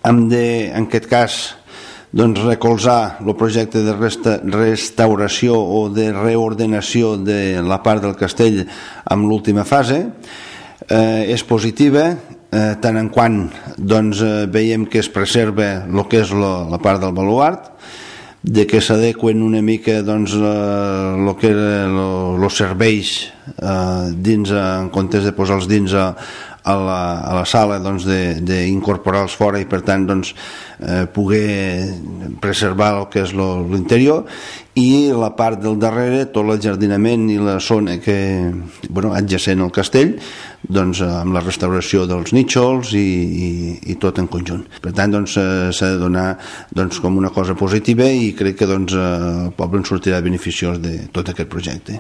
hem de, en aquest cas, doncs, recolzar el projecte de restauració o de reordenació de la part del castell amb l'última fase. És positiva, tant en quant doncs, veiem que es preserva el que és la part del baluart, de que s'adequen una mica doncs, el que eren els serveis dins, en comptes de posar-los dins a la sala, doncs, d'incorporar-los fora i per tant doncs, poder preservar el que és l'interior, i la part del darrere, tot l'enjardinament i la zona que, adjacent al castell, doncs, amb la restauració dels nínxols i tot en conjunt. Per tant, doncs, s'ha de donar doncs, com una cosa positiva, i crec que doncs, el poble en sortirà beneficiós de tot aquest projecte.